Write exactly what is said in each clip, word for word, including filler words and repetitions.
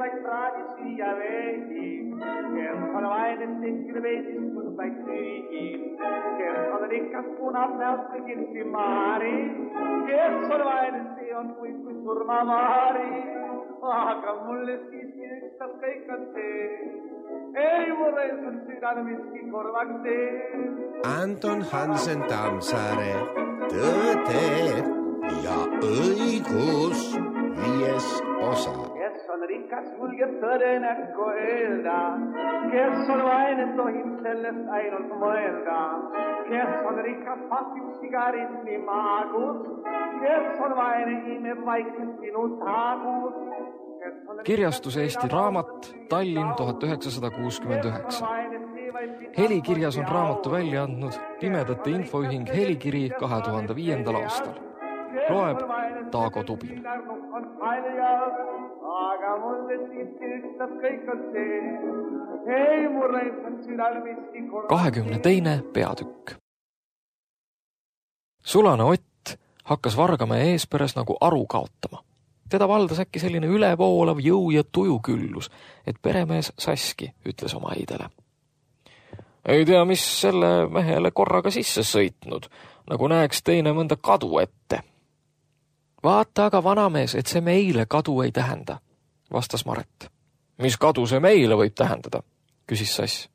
vaid praadisi ja veidi, kes on vainen tehkil veidistus vaid süügi, kes on rikas punab näost kõigilsi maari, kes on vainen see on kuid kui surmamaari, aga mulle siiski ükstas kõik on see, ei mulle on südane miski korvaks tee. Anton Hansen Tammsaare, Tõde ja õigus, viies osa. Kes on rikas, julgeb tõde näkku öelda, kes on vaine, tohib sellest ainult mõelda, kes on rikas, pasib sigaritni maagus, kes on vaine, imeb vaikselt sinu taagus. Kirjastus Eesti Raamat, Tallinn tuhat üheksasada kuuskümmend üheksa. Helikirjas on raamatu välja andnud Pimedate Infoühing Helikiri kahe tuhande viiendal aastal. Loeb Taago Tubin. Aga mulle siiski ükstas kõik on see, ei mulle on südal miski korra. kahekümne teine peatükk. Sulane Ott hakkas Vargamäe eesperes nagu aru kaotama. Teda valdas äkki selline ülevoolav jõu ja tujuküllus, et peremees Saski ütles oma eidele. Ei tea, mis selle mehele korraga sisse sõitnud, nagu näeks teine mõnda kadu ette. Vaata aga, vanamees, et see meile kadu ei tähenda, vastas Maret. Mis kadu see meile võib tähendada, küsis Sass.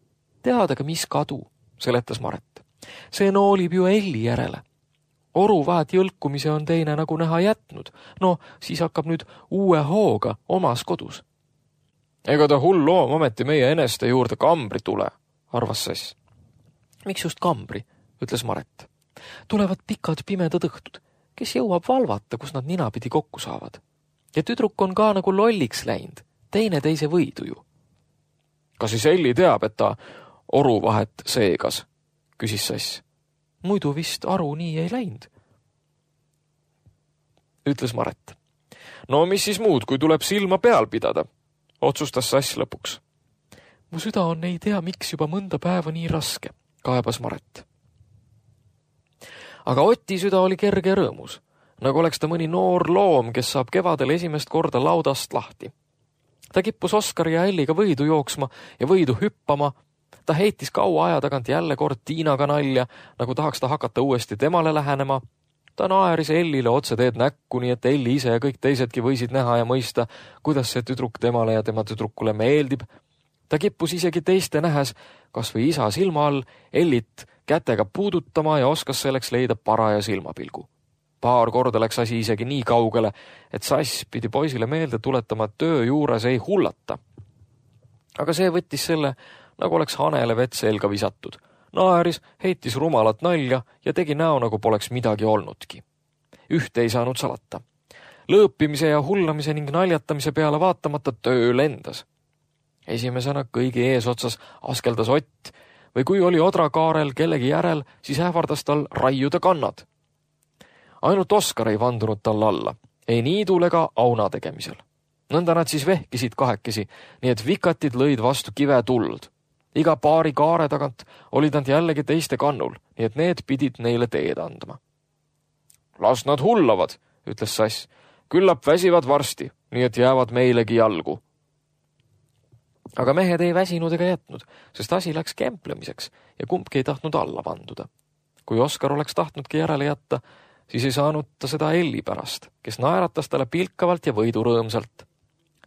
Teadagi, mis kadu, seletas Maret. See noolib ju Elli järele. Oru vahet jõlkumise on teine nagu näha jätnud. No, siis hakkab nüüd uue hooga omas kodus. Ega ta hull loom ometi meie eneste juurde kambri tule, arvas Sass. Miks just kambri, ütles Maret. Tulevad pikad pimedad õhtud, kes jõuab valvata, kus nad ninapidi kokku saavad. Ja tüdruk on ka nagu lolliks läinud, teine teise võidu ju. Kas siis Elli teab, et ta oru vahet seegas, küsis Sass. Muidu vist aru nii ei läinud, ütles Maret. No mis siis muud, kui tuleb silma peal pidada, otsustas Sass lõpuks. Mu süda on ei tea, miks juba mõnda päeva nii raske, kaebas Maret. Aga Oti süda oli kerge rõõmus, nagu oleks ta mõni noor loom, kes saab kevadel esimest korda laudast lahti. Ta kippus Oskari ja Elliga võidu jooksma ja võidu hüppama. Ta heitis kaua aja tagant jälle kord Tiinaga nalja, nagu tahaks ta hakata uuesti temale lähenema. Ta naeris Ellile otse teed näkku, nii et Elli ise ja kõik teisedki võisid näha ja mõista, kuidas see tüdruk temale ja tema tüdrukule meeldib. Ta kippus isegi teiste nähes, kas või isa silma all, Ellit kätega puudutama ja oskas selleks leida paraja silmapilgu. Paar korda läks asi isegi nii kaugele, et Sass pidi poisile meelde tuletama, et töö juures ei hullata. Aga see võttis selle, nagu oleks hanele vett selga visatud. Naeris, heitis rumalat nalja ja tegi näo, nagu poleks midagi olnudki. Ühte ei saanud salata. Lõõpimise ja hullamise ning naljatamise peale vaatamata töö lendas. Esimesena kõigi eesotsas askeldas Ott, või kui oli odrakaarel kellegi järel, siis ähvardas tal raiuda kannad. Ainult Oskar ei vandunud tal alla, ei niidul ega auna tegemisel. Nõnda nad siis vehkisid kahekesi, nii et vikatid lõid vastu kive tuld. Iga paari kaare tagant olid nad jällegi teiste kannul, nii et need pidid neile teed andma. Las nad hullavad, ütles Sass. Küllap väsivad varsti, nii et jäävad meilegi jalgu. Aga mehed ei väsinud ega jätnud, sest asi läks kemplemiseks ja kumbki ei tahtnud alla vanduda. Kui Oskar oleks tahtnudki järele jätta, siis ei saanud ta seda Elli pärast, kes naeratas talle pilkavalt ja võidurõõmsalt.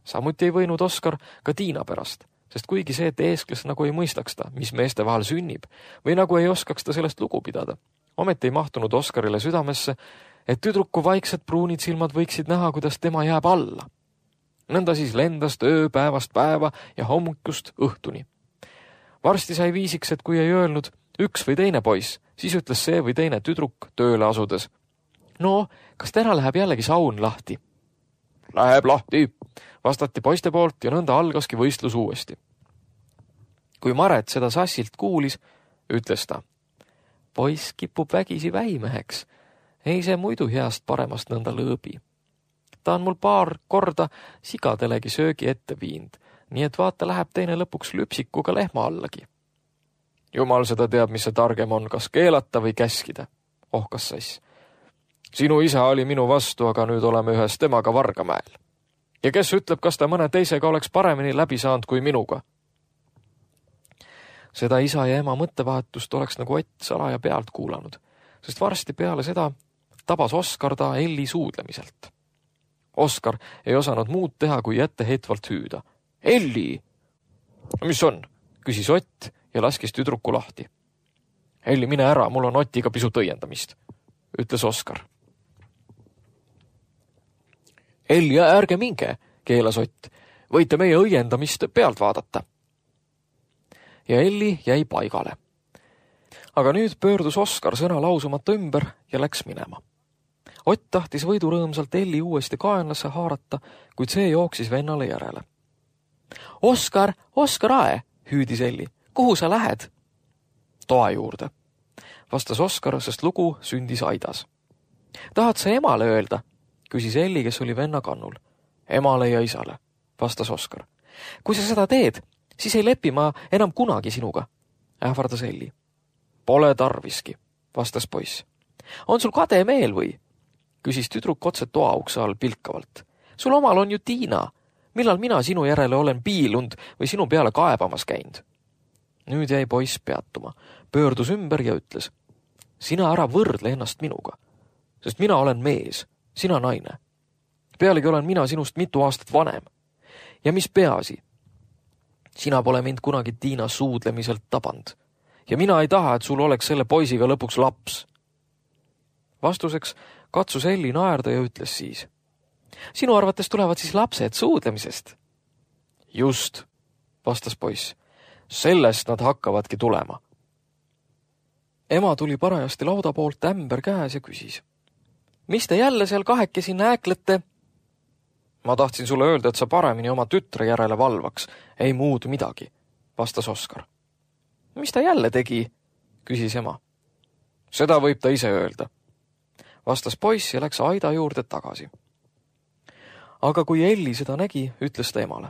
Samuti ei võinud Oskar ka Tiina pärast, sest kuigi see teeskles nagu ei mõistaks ta, mis meeste vahel sünnib, või nagu ei oskaks ta sellest lugu pidada, ometi ei mahtunud Oskarile südamesse, et tüdruku vaiksed pruunid silmad võiksid näha, kuidas tema jääb alla. Nõnda siis lendas öö päevast päeva ja hommikust õhtuni. Varsti sai viisiks, et kui ei öelnud üks või teine poiss, siis ütles see või teine tüdruk tööle asudes. No, kas täna läheb jällegi saun lahti? Läheb lahti, vastati poiste poolt ja nõnda algaski võistlus uuesti. Kui Maret seda Sassilt kuulis, ütles ta. Poiss kipub vägisi väimeheks. Ei see muidu heast paremast nõnda lõõbi. Ta on mul paar korda sigadelegi söögi ette viinud, nii et vaata läheb teine lõpuks lüpsikuga lehma allagi. Jumal seda teab, mis see targem on, kas keelata või käskida, ohkas Sass. Sinu isa oli minu vastu, aga nüüd oleme ühes temaga Vargamäel. ja kes ütleb, kas ta mõne teisega oleks paremini läbi saanud kui minuga? Seda isa ja ema mõttevahetust oleks nagu Ott salaja pealt kuulanud, sest varsti peale seda tabas Oskar ta Elli suudlemiselt. Oskar ei osanud muud teha, kui etteheitvalt hüüda. Elli! Mis on? Küsis Ott ja laskis tüdruku lahti. Elli, mine ära, mul on Otiga pisut õiendamist, ütles Oskar. Elli, ärge minge, keelas Ott. Võite meie õiendamist pealt vaadata. Ja Elli jäi paigale. Aga nüüd pöördus Oskar sõna lausumata ümber ja läks minema. Ott tahtis võidurõõmsalt Elli uuesti kaenlasse haarata, kuid see jooksis vennale järele. Oskar, Oskar Ae, hüüdis Elli. Kuhu sa lähed? Toa juurde, vastas Oskar, sest lugu sündis aidas. Tahad sa emale öelda? Küsis Elli, kes oli venna kannul. Emale ja isale, vastas Oskar. Kui sa seda teed, siis ei lepi ma enam kunagi sinuga, ähvardas Elli. Pole tarviski, vastas poiss. On sul kade meel või? Küsis tüdruk otse toa ukse all pilkavalt. Sul omal on ju Tiina. Millal mina sinu järele olen piilund või sinu peale kaebamas käinud? Nüüd jäi poiss peatuma, pöördus ümber ja ütles. Sina ära võrdle ennast minuga, sest mina olen mees, sina naine. Pealegi olen mina sinust mitu aastat vanem. Ja mis peaasi? Sina pole mind kunagi Tiina suudlemiselt taband. Ja mina ei taha, et sul oleks selle poisiga lõpuks laps. Vastuseks katsus Elli naerda ja ütles siis. Sinu arvates tulevad siis lapsed suudlemisest? Just, vastas poiss. Sellest nad hakkavadki tulema. Ema tuli parajasti lauda poolt ämber käes ja küsis. Mis te jälle seal kahekesi nääklete? Ma tahtsin sulle öelda, et sa paremini oma tütre järele valvaks. Ei muud midagi, vastas Oskar. Mis ta jälle tegi? Küsis ema. Seda võib ta ise öelda, vastas poiss ja läks aida juurde tagasi. Aga kui Elli seda nägi, ütles ta emale.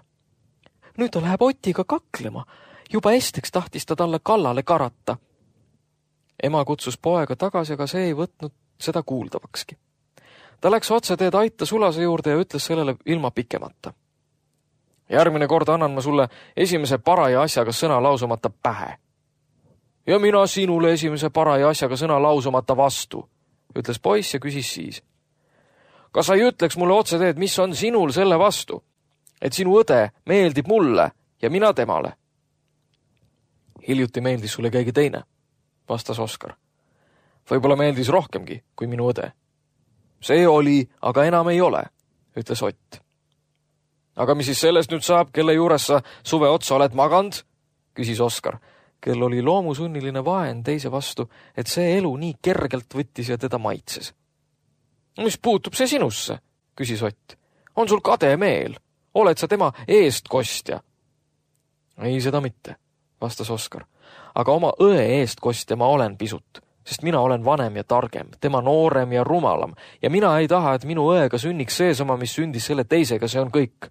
Nüüd ta läheb Otiga kaklema. Juba esteks tahtis ta talle kallale karata. Ema kutsus poega tagasi, aga see ei võtnud seda kuuldavakski. Ta läks otse teed aita sulase juurde ja ütles sellele ilma pikemata. Järgmine kord annan ma sulle esimese paraja asjaga sõna lausumata pähe. Ja mina sinule esimese paraja asjaga sõna lausumata vastu, ütles poiss ja küsis siis. Kas sa ei ütleks mulle otse teed, mis on sinul selle vastu, et sinu õde meeldib mulle ja mina temale? Hiljuti meeldis sulle keegi teine, vastas Oskar. Võib-olla meeldis rohkemgi kui minu õde. See oli, aga enam ei ole, ütles Ott. Aga mis siis sellest nüüd saab, kelle juures sa suve otsa oled maganud? Küsis Oskar, kel oli loomusunniline vaen teise vastu, et see elu nii kergelt võttis ja teda maitses. Mis puutub see sinusse? Küsis Ott. On sul kade meel? Oled sa tema eestkostja? Ei, seda mitte, vastas Oskar. Aga oma õe eestkostja ma olen pisut, sest mina olen vanem ja targem, tema noorem ja rumalam ja mina ei taha, et minu õega sünniks seesama, mis sündis selle teisega, see on kõik.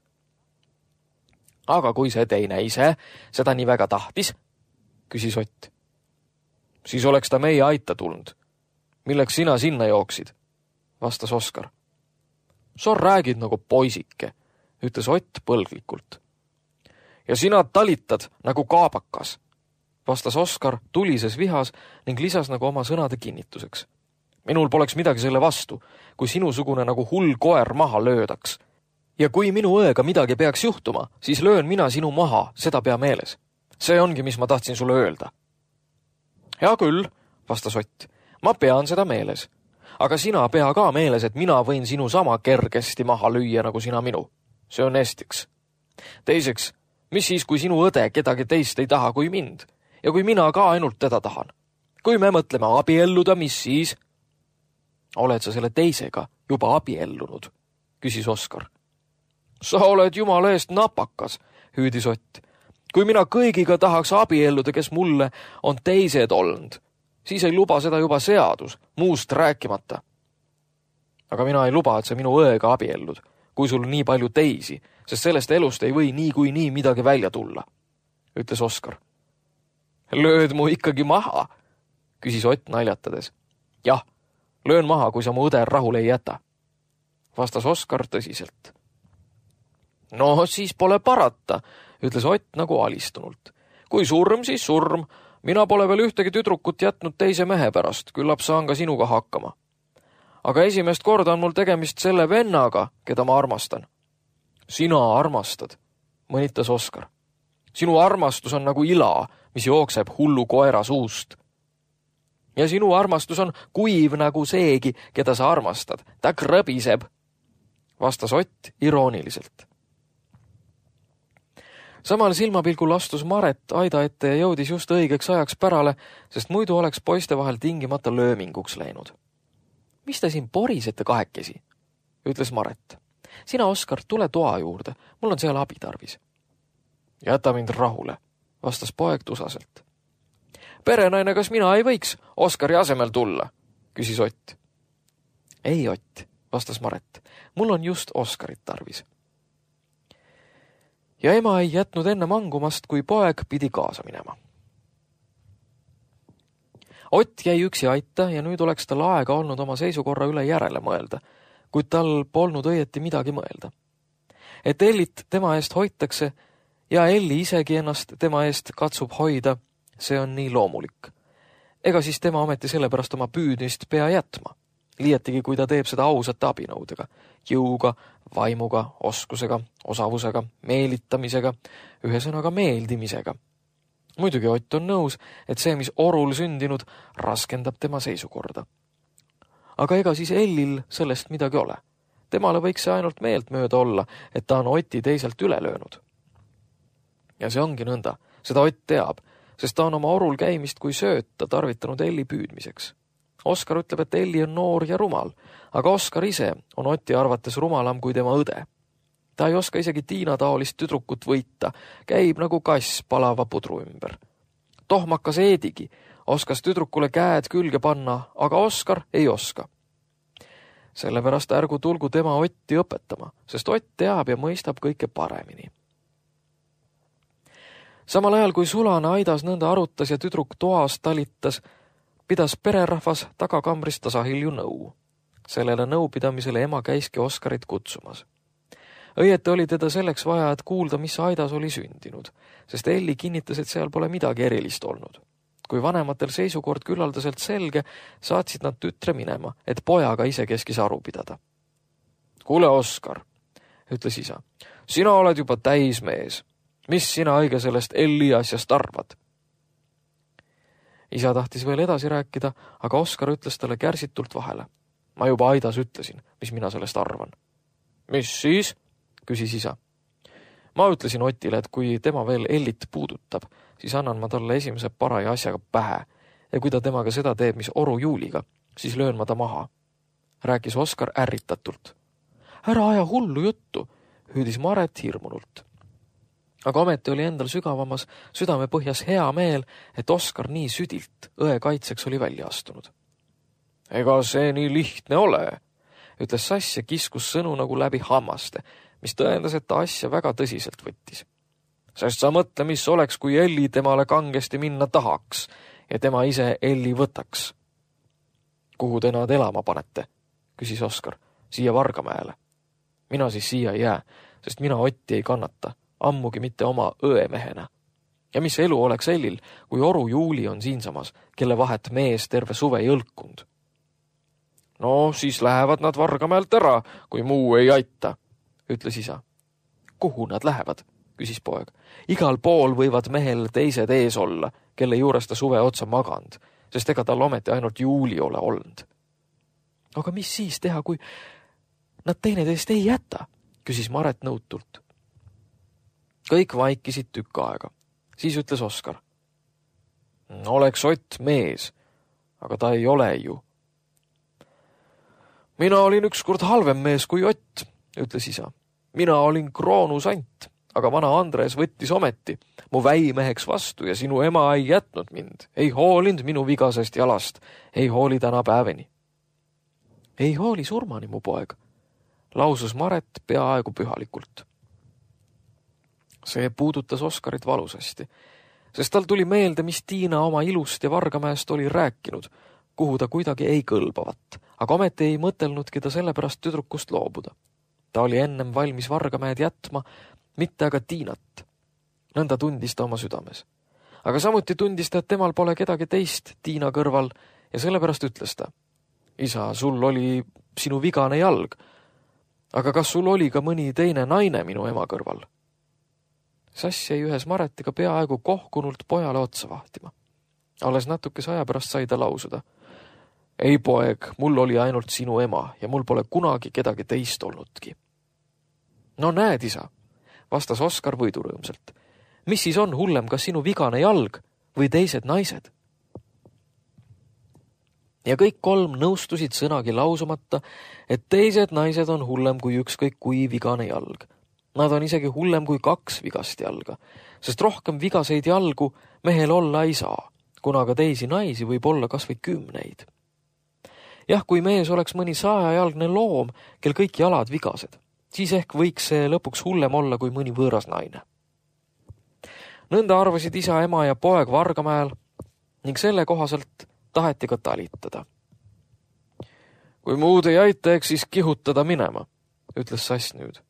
Aga kui see teine ise seda nii väga tahtis, küsis Ott. Siis oleks ta meie aita tulnud. Milleks sina sinna jooksid? Vastas Oskar. Sa räägid nagu poisike, ütles Ott põlglikult. Ja sina talitad nagu kaabakas, vastas Oskar tulises vihas ning lisas nagu oma sõnade kinnituseks. Minul poleks midagi selle vastu, kui sinusugune nagu hull koer maha löödaks. Ja kui minu õega midagi peaks juhtuma, siis löön mina sinu maha, seda pea meeles. See ongi, mis ma tahtsin sulle öelda. Hea küll, vastas Ott, ma pean seda meeles. Aga sina pea ka meeles, et mina võin sinu sama kergesti maha lüüa, nagu sina minu. See on estiks. Teiseks, mis siis, kui sinu õde kedagi teist ei taha kui mind? Ja kui mina ka ainult teda tahan? Kui me mõtleme abielluda, mis siis? Oled sa selle teisega juba abiellunud? Küsis Oskar. Sa oled jumala eest napakas, hüüdis Ott. Kui mina kõigiga tahaks abielluda, kes mulle on teised olnud, siis ei luba seda juba seadus, muust rääkimata. Aga mina ei luba, et sa minu õega abiellud, kui sul nii palju teisi, sest sellest elust ei või nii kui nii midagi välja tulla, ütles Oskar. Lööd mu ikkagi maha, küsis Ott naljatades. Jah, löön maha, kui sa mu õde rahule ei jäta, vastas Oskar tõsiselt. No siis pole parata, ütles Ott nagu alistunult. Kui surm, siis surm. Mina pole veel ühtegi tüdrukut jätnud teise mehe pärast, küllap saan ka sinuga hakkama. Aga esimest korda on mul tegemist selle vennaga, keda ma armastan. Sina armastad, mõnitas Oskar. Sinu armastus on nagu ila, mis jookseb hullu koera suust. Ja sinu armastus on kuiv nagu seegi, keda sa armastad. Ta krõbiseb, vastas Ott irooniliselt. Samal silmapilgul astus Maret aida ette ja jõudis just õigeks ajaks pärale, sest muidu oleks poiste vahel tingimata lööminguks läinud. Mis te siin porisete kahekesi, ütles Maret. Sina, Oskar, tule toa juurde, mul on seal abi tarvis. Jäta mind rahule, vastas poeg tusaselt. Perenaine, kas mina ei võiks Oskari asemel tulla, küsis Ott. Ei, Ott, vastas Maret, mul on just Oskarit tarvis. Ja ema ei jätnud enne mangumast, kui poeg pidi kaasa minema. Ott jäi üksi aita ja nüüd oleks tal aega olnud oma seisukorra üle järele mõelda, kuid tal polnud õieti midagi mõelda. Et Ellit tema eest hoitakse ja Elli isegi ennast tema eest katsub hoida, see on nii loomulik. Ega siis tema ometi sellepärast oma püüdmist pea jätma, liiatigi kui ta teeb seda ausate abinõudega, jõuga, vaimuga, oskusega, osavusega, meelitamisega, ühesõnaga meeldimisega. Muidugi Ott on nõus, et see, mis orul sündinud, raskendab tema seisukorda. Aga ega siis Ellil sellest midagi ole. Temale võiks see ainult meelt mööda olla, et ta on Oti teiselt üle löönud. Ja see ongi nõnda, seda Ott teab, sest ta on oma orul käimist kui sööta tarvitanud Elli püüdmiseks. Oskar ütleb, et Elli on noor ja rumal, aga Oskar ise on Oti arvates rumalam kui tema õde. Ta ei oska isegi Tiina taolist tüdrukut võita, käib nagu kass palava pudru ümber. Tohmakas Eedigi oskas tüdrukule käed külge panna, aga Oskar ei oska. Sellepärast ärgu tulgu tema Otti õpetama, sest Ott teab ja mõistab kõike paremini. Samal ajal, kui sulane aidas nõnda arutas ja tüdruk toas talitas, pidas pererahvas tagakambrist tasahilju nõu. Sellele nõupidamisele ema käiski Oskarit kutsumas. Õieti oli teda selleks vaja, et kuulda, mis aidas oli sündinud, sest Elli kinnitas, et seal pole midagi erilist olnud. Kui vanematel seisukord küllaldaselt selge, saatsid nad tütre minema, et pojaga ise keskis aru pidada. Kuule, Oskar, ütles isa, sina oled juba täismees. Mis sina õige sellest Elli asjast arvad? Isa tahtis veel edasi rääkida, aga Oskar ütles talle kärsitult vahele. Ma juba aidas ütlesin, mis mina sellest arvan. Mis siis? Küsis isa. Ma ütlesin Otile, et kui tema veel Ellit puudutab, siis annan ma talle esimese paraja asjaga pähe ja kui ta temaga seda teeb, mis oru Juuliga, siis löön ma ta maha. Rääkis Oskar ärritatult. Ära aja hullu juttu, hüüdis Maret hirmunult. Aga ometi oli endal sügavamas südame põhjas hea meel, et Oskar nii südilt õe kaitseks oli välja astunud. Ega see nii lihtne ole, ütles Sass ja kiskus sõnu nagu läbi hammaste, mis tõendas, et ta asja väga tõsiselt võttis. Sest sa mõtle, mis oleks, kui Elli temale kangesti minna tahaks ja tema ise Elli võtaks. Kuhu te nad elama panete? Küsis Oskar. Siia Vargamäele. Mina siis siia ei jää, sest mina Otti ei kannata, ammugi mitte oma õemehena. Ja mis elu oleks Ellil, kui oru Juuli on siinsamas, kelle vahet mees terve suve jõlkunud? No siis lähevad nad Vargamäelt ära, kui muu ei aita, ütles isa. Kuhu nad lähevad? Küsis poeg. Igal pool võivad mehel teised ees olla, kelle juures ta suve otsa maganud, sest ega tal ometi ainult Juuli ole olnud. Aga mis siis teha, kui nad teineteist ei jäta? Küsis Maret nõutult. Kõik vaikisid tükk aega. Siis ütles Oskar. Oleks Ott mees, aga ta ei ole ju. Mina olin ükskord halvem mees kui Ott, ütles isa. Mina olin kroonusant, aga vana Andres võttis ometi mu väimeheks vastu ja sinu ema ei jätnud mind, ei hoolinud minu vigasest jalast, ei hooli täna päeveni. Ei hooli surmani, mu poeg, lausus Maret peaaegu pühalikult. See puudutas Oskarit valusasti, sest tal tuli meelde, mis Tiina oma ilust ja Vargamäest oli rääkinud, kuhu ta kuidagi ei kõlbavat, aga ometi ei mõtelnudki ta sellepärast tüdrukust loobuda. Ta oli ennem valmis Vargamäed jätma, mitte aga Tiinat. Nõnda tundis ta oma südames. Aga samuti tundis ta, et temal pole kedagi teist Tiina kõrval ja sellepärast ütles ta: isa, sul oli sinu vigane jalg, aga kas sul oli ka mõni teine naine minu ema kõrval? Sass jäi ühes Maretiga peaaegu kohkunult pojale otsa vahtima. Alles natukese aja pärast sai ta lausuda: ei poeg, mul oli ainult sinu ema ja mul pole kunagi kedagi teist olnudki. No näed, isa, vastas Oskar võidurõõmsalt. Mis siis on hullem, kas sinu vigane jalg või teised naised? Ja kõik kolm nõustusid sõnagi lausumata, et teised naised on hullem kui ükskõik kui vigane jalg. Nad on isegi hullem kui kaks vigast jalga, sest rohkem vigaseid jalgu mehel olla ei saa, kuna ka teisi naisi võib olla kas või kümneid. Jah, kui mees oleks mõni sajajalgne loom, kel kõik jalad vigased, siis ehk võiks see lõpuks hullem olla kui mõni võõras naine. Nõnda arvasid isa, ema ja poeg Vargamäel ning selle kohaselt taheti ka talitada. Kui muud ei aita, eks siis kihutada minema, ütles Sass nüüd.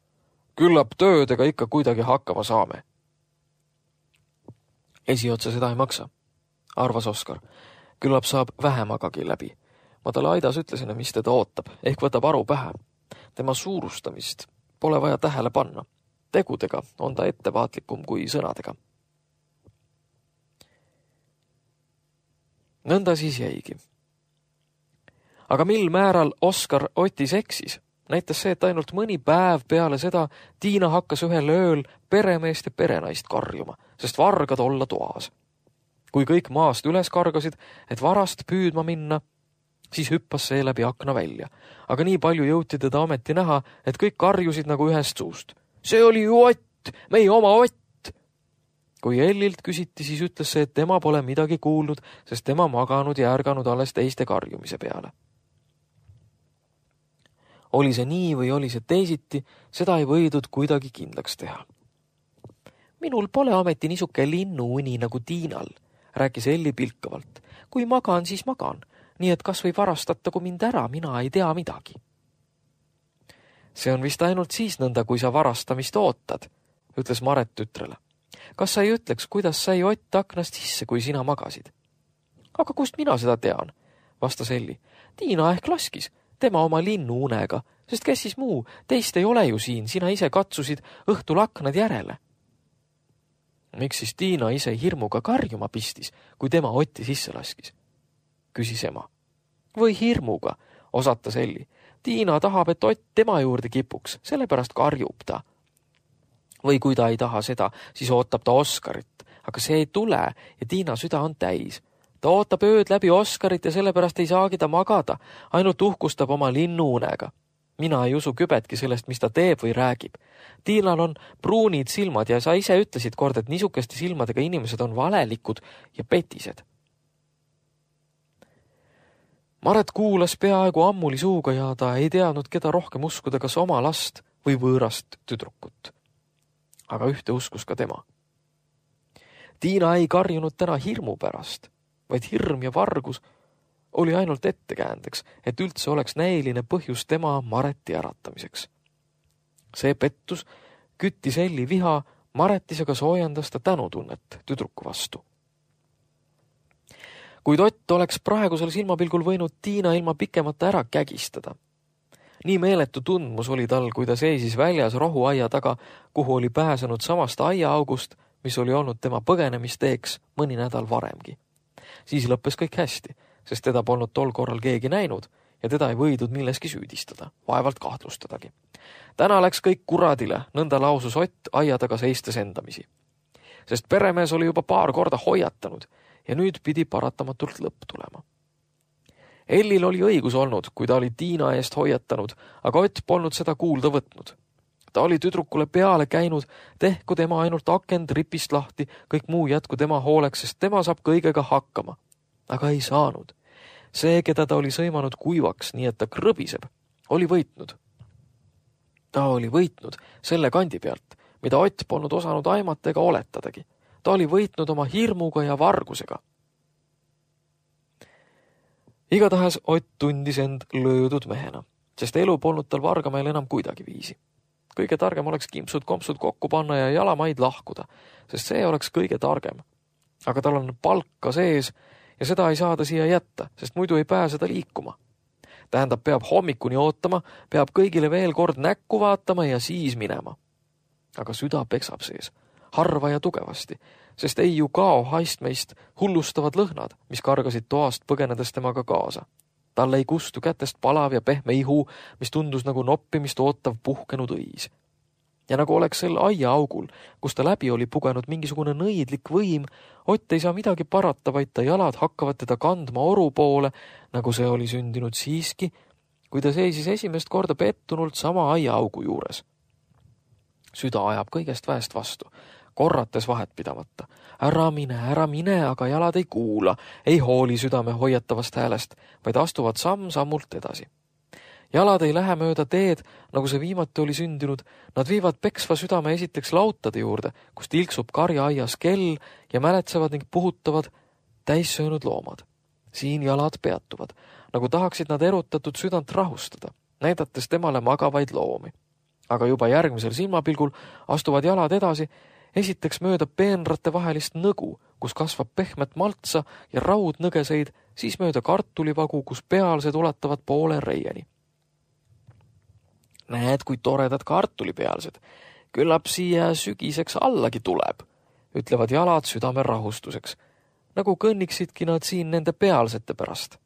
Küllap töödega ikka kuidagi hakkama saame. Esiotsa seda ei maksa, arvas Oskar. Küllap saab vähemagagi läbi. Ma talle aidas ütlesin, mis teda ootab, ehk võtab aru pähe. Tema suurustamist pole vaja tähele panna. Tegudega on ta ettevaatlikum kui sõnadega. Nõnda siis jäigi. Aga mil määral Oskar Otis eksis, näitas see, et ainult mõni päev peale seda Tiina hakkas ühel ööl peremeest ja perenaist karjuma, sest vargad olla toas. Kui kõik maast üles kargasid, et varast püüdma minna, siis hüppas see läbi akna välja. Aga nii palju jõuti teda ometi näha, et kõik karjusid nagu ühest suust. See oli ju Ott, meie oma Ott! Kui Ellilt küsiti, siis ütles see, et tema pole midagi kuulnud, sest tema maganud ja ärganud alles teiste karjumise peale. Oli see nii või oli see teisiti, seda ei võidud kuidagi kindlaks teha. Minul pole ometi niisuke linnuuni nagu Tiinal, rääkis Elli pilkavalt. Kui magan, siis magan, nii et kas või varastatagu mind ära, mina ei tea midagi. See on vist ainult siis nõnda, kui sa varastamist ootad, ütles Maret tütrele. Kas sa ei ütleks, kuidas sai Ott aknast sisse, kui sina magasid? Aga kust mina seda tean, vastas Elli. Tiina ehk laskis, tema oma linnu unega, sest kes siis muu, teist ei ole ju siin, sina ise katsusid õhtul aknad järele. Miks siis Tiina ise hirmuga karjuma pistis, kui tema Otti sisse laskis? Küsis ema. Või hirmuga, osatas Elli. Tiina tahab, et Ott tema juurde kipuks, sellepärast karjub ta. Või kui ta ei taha seda, siis ootab ta Oskarit, aga see ei tule ja Tiina süda on täis. Ta ootab ööd läbi Oskarit ja sellepärast ei saagi ta magada, ainult uhkustab oma linnuunega. Mina ei usu kübetki sellest, mis ta teeb või räägib. Tiinal on pruunid silmad ja sa ise ütlesid kord, et niisugeste silmadega inimesed on valelikud ja petised. Maret kuulas peaaegu ammuli suuga ja ta ei teadnud, keda rohkem uskuda, kas oma last või võõrast tüdrukut. Aga ühte uskus ka tema. Tiina ei karjunud täna hirmu pärast, vaid hirm ja vargus oli ainult ettekäändeks, et üldse oleks näiline põhjus tema Mareti äratamiseks. See pettus küttis Elli viha, Maretis aga soojendas ta tänutunnet tüdruku vastu. Kuid Ott oleks praegusel silmapilgul võinud Tiina ilma pikemata ära kägistada. Nii meeletu tundmus oli tal, kui ta seisis väljas rohuaia taga, kuhu oli pääsenud samast aiaaugust, mis oli olnud tema põgenemisteeks mõni nädal varemgi. Siis lõppes kõik hästi, sest teda polnud tol korral keegi näinud ja teda ei võidud milleski süüdistada, vaevalt kahtlustadagi. Täna läks kõik kuradile, nõnda lausus Ott aia taga seistes endamisi. Sest peremees oli juba paar korda hoiatanud ja nüüd pidi paratamatult lõpp tulema. Ellil oli õigus olnud, kui ta oli Tiina eest hoiatanud, aga Ott polnud seda kuulda võtnud. Ta oli tüdrukule peale käinud, tehku tema ainult akend ripist lahti, kõik muu jätku tema hooleks, sest tema saab kõigega hakkama. Aga ei saanud. See, keda ta oli sõimanud kuivaks, nii et ta krõbiseb, oli võitnud. Ta oli võitnud selle kandi pealt, mida Ott polnud osanud aimata ega oletadagi. Ta oli võitnud oma hirmuga ja vargusega. Igatahes Ott tundis end löödud mehena, sest elu polnud tal Vargamäel enam kuidagi viisi. Kõige targem oleks kimpsud-kompsud kokku panna ja jalamaid lahkuda, sest see oleks kõige targem. Aga tal on palka sees ja seda ei saa ta siia jätta, sest muidu ei pääse ta liikuma. Tähendab, peab hommikuni ootama, peab kõigile veel kord näkku vaatama ja siis minema. Aga süda peksab sees, harva ja tugevasti, sest ei ju kao haistmeist hullustavad lõhnad, mis kargasid toast põgenedes temaga kaasa. Talle ei kustu kätest palav ja pehme ihu, mis tundus nagu noppimist ootav puhkenud õis. Ja nagu oleks sel aia augul, kus ta läbi oli pugenud mingisugune nõidlik võim, Ott ei saa midagi parata, vaid ta jalad hakkavad teda kandma oru poole, nagu see oli sündinud siiski, kui ta seisis esimest korda pettunult sama aia augu juures. Süda ajab kõigest väest vastu, korrates vahet pidamata. Ära mine, ära mine, aga jalad ei kuula, ei hooli südame hoiatavast häälest, vaid astuvad samm-sammult edasi. Jalad ei lähe mööda teed, nagu see viimati oli sündinud, nad viivad peksva südame esiteks lautade juurde, kus tilksub karjaaias kell ja mäletsevad ning puhutavad täissöönud loomad. Siin jalad peatuvad, nagu tahaksid nad erutatud südant rahustada, näidates temale magavaid loomi. Aga juba järgmisel silmapilgul astuvad jalad edasi, esiteks mööda peenrate vahelist nõgu, kus kasvab pehmet maltsa ja raudnõgeseid, siis mööda kartulivagu, kus pealsed ulatavad poole reieni. Näed, kui toredad kartulipealsed. Küllap siia sügiseks allagi tuleb, ütlevad jalad südame rahustuseks, nagu kõnniksidki nad siin nende pealsete pärast.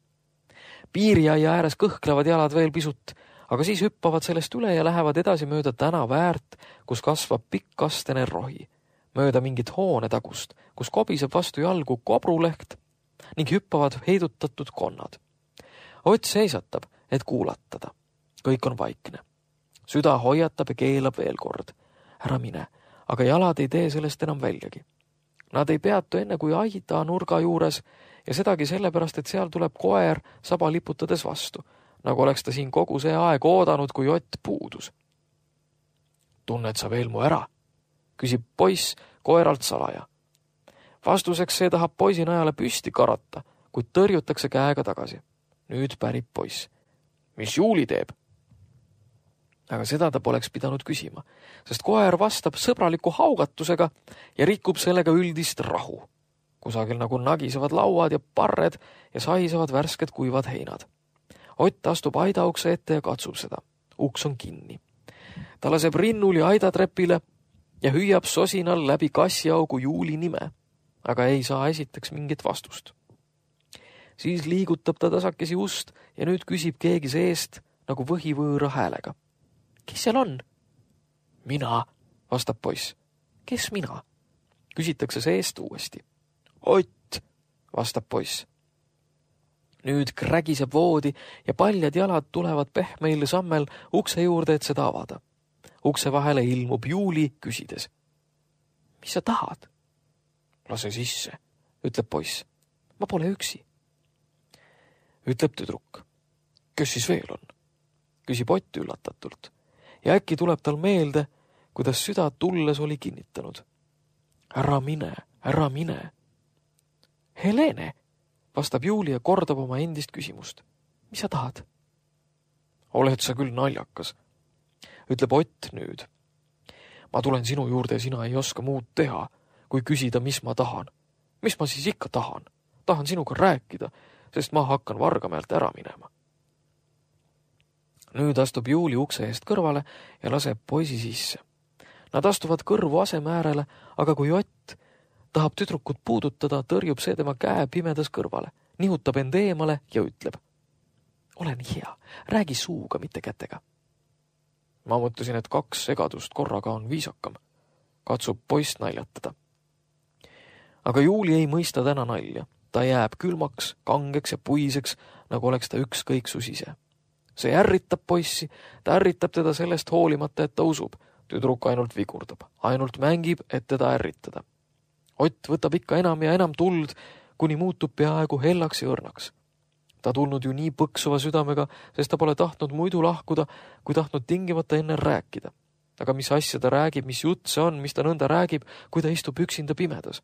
Piiriaia ääres kõhklevad jalad veel pisut, aga siis hüppavad sellest üle ja lähevad edasi mööda tänava äärt, kus kasvab pikkastene rohi, mööda mingit hoonetagust, kus kobiseb vastu jalgu kobruleht ning hüppavad heidutatud konnad. Ott seisatab, et kuulatada. Kõik on vaikne. Süda hoiatab ja keelab veel kord. Ära mine, aga jalad ei tee sellest enam väljagi. Nad ei peatu enne kui aida nurga juures ja sedagi sellepärast, et seal tuleb koer saba liputades vastu, nagu oleks ta siin kogu see aeg oodanud, kui Ott puudus. Tunned sa veel mu ära? Küsib poiss koeralt salaja. Vastuseks see tahab poisi najale püsti karata, kuid tõrjutakse käega tagasi. Nüüd pärib poiss. Mis Juuli teeb? Aga seda ta poleks pidanud küsima, sest koer vastab sõbraliku haugatusega ja rikub sellega üldist rahu. Kusagil nagu nagisevad lauad ja parred ja saisavad värsked kuivad heinad. Ott astub aidaukse ette ja katsub seda. Uks on kinni. Ta laseb rinnuli aidatrepile ja hüüab sosinal läbi kassiaugu Juuli nime, aga ei saa esiteks mingit vastust. Siis liigutab ta tasakesi ust ja nüüd küsib keegi seest nagu võhivõõra häälega. Kes seal on? Mina, vastab poiss. Kes mina? Küsitakse seest uuesti. Ott, vastab poiss. Nüüd krägiseb voodi ja paljad jalad tulevad pehmeil sammel ukse juurde, et seda avada. Ukse vahele ilmub Juuli küsides. Mis sa tahad? Lase sisse, ütleb poiss. Ma pole üksi. Ütleb tüdruk. Kes siis veel on? Küsib Ott üllatatult. Ja äkki tuleb tal meelde, kuidas süda tulles oli kinnitanud. Ära mine, ära mine. Helene, vastab Juuli ja kordab oma endist küsimust. Mis sa tahad? Oled sa küll naljakas, ütleb Ott nüüd. Ma tulen sinu juurde ja sina ei oska muud teha, kui küsida, mis ma tahan. Mis ma siis ikka tahan? Tahan sinuga rääkida, sest ma hakkan Vargamäelt ära minema. Nüüd astub Juuli ukse eest kõrvale ja laseb poisi sisse. Nad astuvad kõrvu aseme äärele, aga kui Ott tahab tüdrukut puudutada, tõrjub see tema käe pimedas kõrvale, nihutab end eemale ja ütleb. Ole nii hea, räägi suuga, mitte kätega. Ma mõtlesin, et kaks segadust korraga on viisakam. Katsub poist naljatada. Aga Juuli ei mõista täna nalja. Ta jääb külmaks, kangeks ja puiseks, nagu oleks ta ükskõiksus ise. See ärritab poissi, ta ärritab teda sellest hoolimata, et ta usub. Tüdruk ainult vigurdab, ainult mängib, et teda ärritada. Ott võtab ikka enam ja enam tuld, kuni muutub peaaegu hellaks ja õrnaks. Ta tulnud ju nii põksuva südamega, sest ta pole tahtnud muidu lahkuda, kui tahtnud tingimata enne rääkida. Aga mis asja ta räägib, mis jutt see on, mis ta nõnda räägib, kui ta istub üksinda pimedas?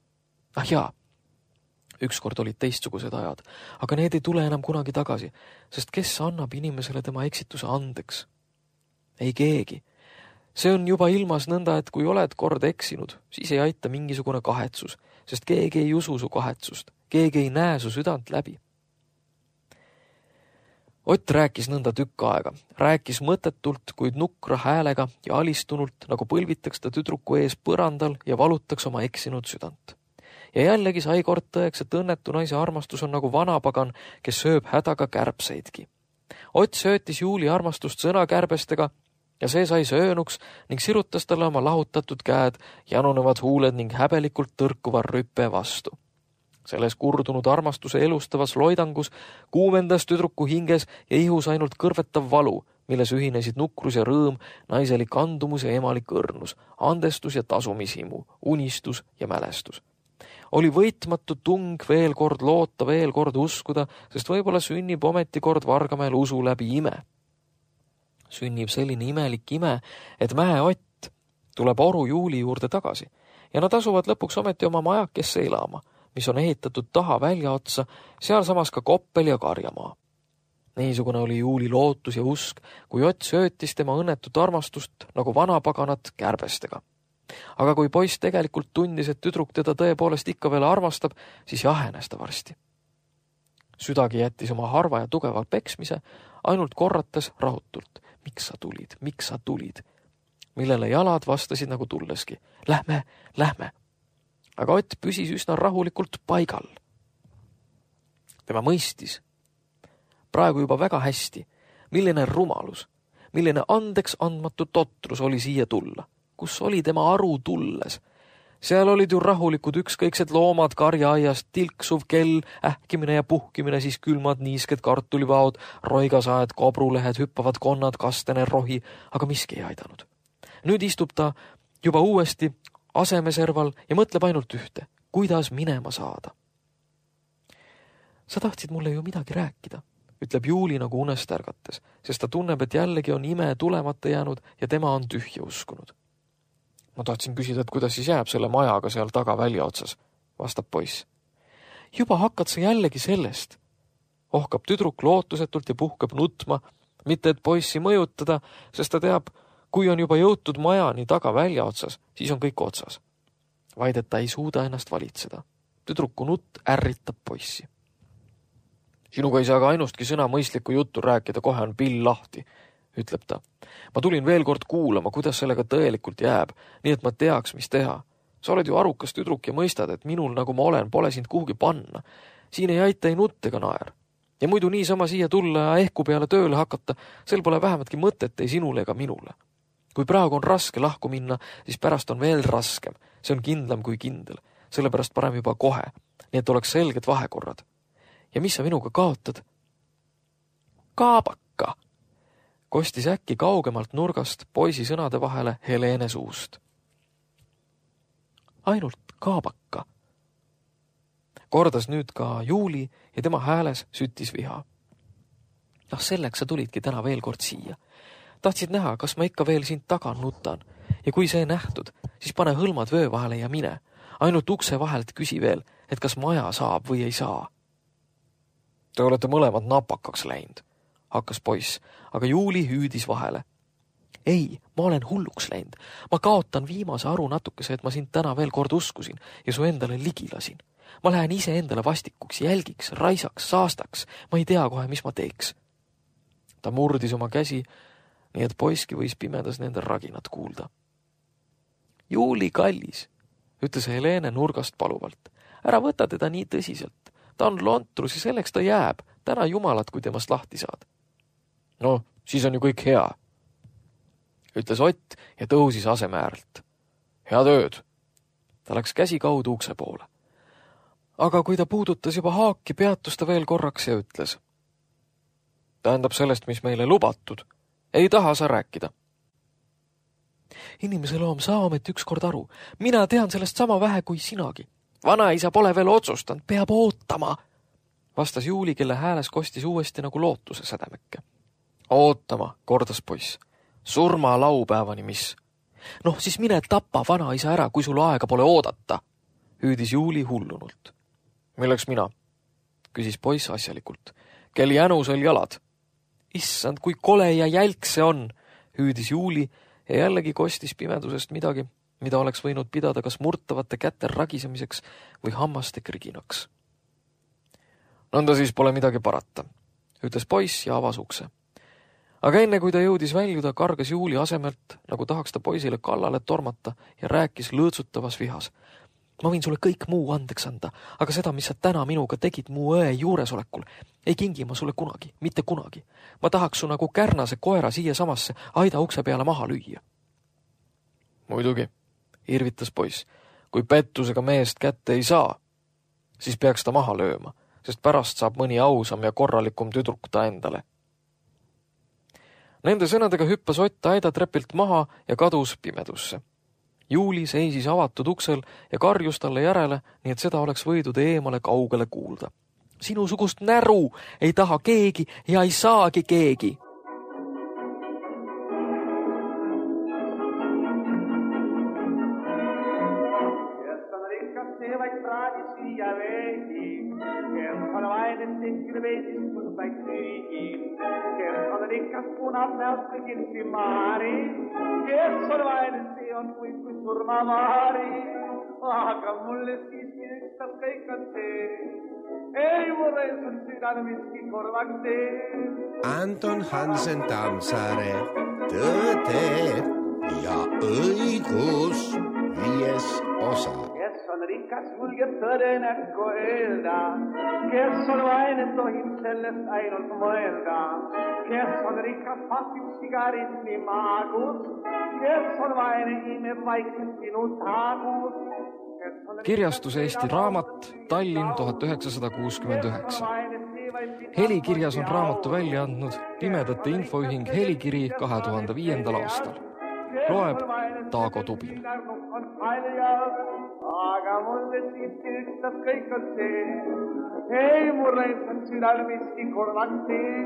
Ah jaa, ükskord olid teistsugused ajad, aga need ei tule enam kunagi tagasi, sest kes annab inimesele tema eksituse andeks? Ei keegi. See on juba ilmas nõnda, et kui oled kord eksinud, siis ei aita mingisugune kahetsus, sest keegi ei usu su kahetsust, keegi ei näe su südant läbi. Ott rääkis nõnda tükk aega, rääkis mõtetult, kuid nukra häälega ja alistunult, nagu põlvitaks ta tüdruku ees põrandal ja valutaks oma eksinud südant. Ja jällegi sai kord tõeks, et õnnetu naise armastus on nagu vanapagan, kes sööb hädaga kärbseidki. Ott söötis Juuli armastust sõnakärbestega ja see sai söönuks ning sirutas talle oma lahutatud käed, janunevad huuled ning häbelikult tõrkuva rüppe vastu. Selles kurdunud armastuse elustavas loidangus kuumendas tüdruku hinges ja ihus ainult kõrvetav valu, milles ühinesid nukrus ja rõõm, naiselik andumus ja emalik õrnus, andestus ja tasumishimu, unistus ja mälestus. Oli võitmatu tung veel kord loota, veel kord uskuda, sest võib-olla sünnib ometi kord Vargameel usu läbi ime. Sünnib selline imelik ime, et Mäe Ott tuleb oru Juuli juurde tagasi ja nad asuvad lõpuks ometi oma majakesse elama, mis on ehitatud taha välja otsa, sealsamas ka koppel ja karjamaa. Niisugune oli Juuli lootus ja usk, kui Ott söötis tema õnnetut armastust nagu vanapaganat kärbestega. Aga kui poiss tegelikult tundis, et tüdruk teda tõepoolest ikka veel armastab, siis jahenes ta varsti. Südagi jättis oma harva ja tugeva peksmise, ainult korrates rahutult. Miks sa tulid, miks sa tulid? Millele jalad vastasid nagu tulleski. Lähme, lähme. Aga Ott püsis üsna rahulikult paigal. Tema mõistis praegu juba väga hästi, milline rumalus, milline andeks andmatu totrus oli siia tulla. Kus oli tema aru tulles? Seal olid ju rahulikud ükskõiksed loomad karjaaiast, tilksuv kell, ähkimine ja puhkimine, siis külmad niisked kartulivaod, roigasaed, kobrulehed, hüppavad konnad, kastene, rohi, aga miski ei aidanud. Nüüd istub ta juba uuesti asemeserval ja mõtleb ainult ühte, kuidas minema saada. Sa tahtsid mulle ju midagi rääkida, ütleb Juuli nagu unest ärgates, sest ta tunneb, et jällegi on ime tulemata jäänud ja tema on tühja uskunud. Ma tahtsin küsida, et kuidas siis jääb selle majaga seal taga välja otsas, vastab poiss. Juba hakkad sa jällegi sellest. Ohkab tüdruk lootusetult ja puhkab nutma, mitte et poissi mõjutada, sest ta teab, kui on juba jõutud majani taga välja otsas, siis on kõik otsas. Vaid et ta ei suuda ennast valitseda. Tüdruku nutt ärritab poissi. Sinuga ei saa ka ainustki sõna mõistlikku juttu rääkida, kohe on pill lahti, ütleb ta. Ma tulin veel kord kuulama, kuidas sellega tõelikult jääb, nii et ma teaks, mis teha. Sa oled ju arukas tüdruk ja mõistad, et minul, nagu ma olen, pole sind kuhugi panna. Siin ei aita ei nutt ega naer. Ja muidu niisama siia tulla ja ehku peale tööle hakata, sel pole vähematki mõtet ei sinule ega minule. Kui praegu on raske lahku minna, siis pärast on veel raskem. See on kindlam kui kindel. Sellepärast parem juba kohe, nii et oleks selged vahekorrad. Ja mis sa minuga kaotad? Kaabaka! Kostis äkki kaugemalt nurgast poisi sõnade vahele Helene suust. Ainult kaabaka. Kordas nüüd ka Juuli ja tema hääles süttis viha. Noh, selleks sa tulidki täna veel kord siia. Tahtsid näha, kas ma ikka veel sind taga nutan. Ja kui see nähtud, siis pane hõlmad vöö vahele ja mine. Ainult ukse vahelt küsi veel, et kas maja saab või ei saa. Te olete mõlemad napakaks läinud, hakkas poiss, aga Juuli hüüdis vahele. Ei, ma olen hulluks läinud. Ma kaotan viimase aru natukese, et ma sind täna veel kord uskusin ja su endale ligi lasin. Ma lähen ise endale vastikuks, jälgiks, raisaks, saastaks. Ma ei tea kohe, mis ma teeks. Ta murdis oma käsi, nii et poiski võis pimedas nende raginat kuulda. Juuli kallis, ütles Helene nurgast paluvalt. Ära võta teda nii tõsiselt. Ta on lontrus ja selleks ta jääb. Täna jumalat, kui temast lahti saad. No, siis on ju kõik hea, ütles Ott ja tõusis asemääralt. Head ööd. Ta läks käsi kaudu ukse poole. Aga kui ta puudutas juba haaki, peatus ta veel korraks ja ütles. Tähendab sellest, mis meile lubatud. Ei taha sa rääkida. Inimese loom, saa ometi ükskord aru. Mina tean sellest sama vähe kui sinagi. Vanaisa pole veel otsustanud, peab ootama, vastas Juuli, kelle hääles kostis uuesti nagu lootuse sädemekke. Ootama, kordas poiss. Surma laupäevani, mis? Noh, siis mine tapa vanaisa ära, kui sul aega pole oodata, hüüdis Juuli hullunult. Milleks mina? Küsis poiss asjalikult. Kel jänusel jalad? Issand, kui kole ja jälk see on, hüüdis Juuli ja jällegi kostis pimedusest midagi, mida oleks võinud pidada kas murtavate käte ragisemiseks või hammaste kriginaks. Nõnda siis pole midagi parata, ütles poiss ja avas ukse. Aga enne kui ta jõudis väljuda, kargas Juuli asemelt, nagu tahaks ta poisile kallale tormata ja rääkis lõõtsutavas vihas. Ma võin sulle kõik muu andeks anda, aga seda, mis sa täna minuga tegid mu õe juuresolekul, ei kingi ma sulle kunagi, mitte kunagi. Ma tahaks su nagu kärnase koera siia samasse aida ukse peale maha lüüa. Muidugi, irvitas poiss, kui pettusega meest kätte ei saa, siis peaks ta maha lööma, sest pärast saab mõni ausam ja korralikum tüdruk ta endale. Nende sõnadega hüppas Ott aida trepilt maha ja kadus pimedusse. Juuli seisis avatud uksel ja karjus talle järele, nii et seda oleks võidud eemale kaugele kuulda. Sinusugust näru ei taha keegi ja ei saagi keegi. Kes on rikas, see vaid praadi siia veegi. Kes on vainen, tehkil veidis kun vaid süügi. Kes on rikas, punab näost kõigilsi maari. Kes on vainen, see on kui kui surmamaari. Aga mulle siiski ükstas kõik on see. Ei mulle on südane miski korvaks see. Anton Hansen Tammsaare, Tõde ja õigus, viies osa. Kes on rikas, julgeb tõde näkku öelda. Kes on vaine, tohib sellest ainult mõelda. Kes on rikas, pasib sigaretti maagus. Kes on vaine, imeb vaikselt sinu taagus. Kirjastus Eesti Raamat, Tallinn tuhat üheksasada kuuskümmend üheksa. Helikirjas on raamatu välja andnud Pimedate Infoühing Helikiri kahe tuhande viiendal aastal. Loeb Taago Tubin. Aga mulle siiski ükstas kõik on see. Ei mulle on südal miski korvaks see.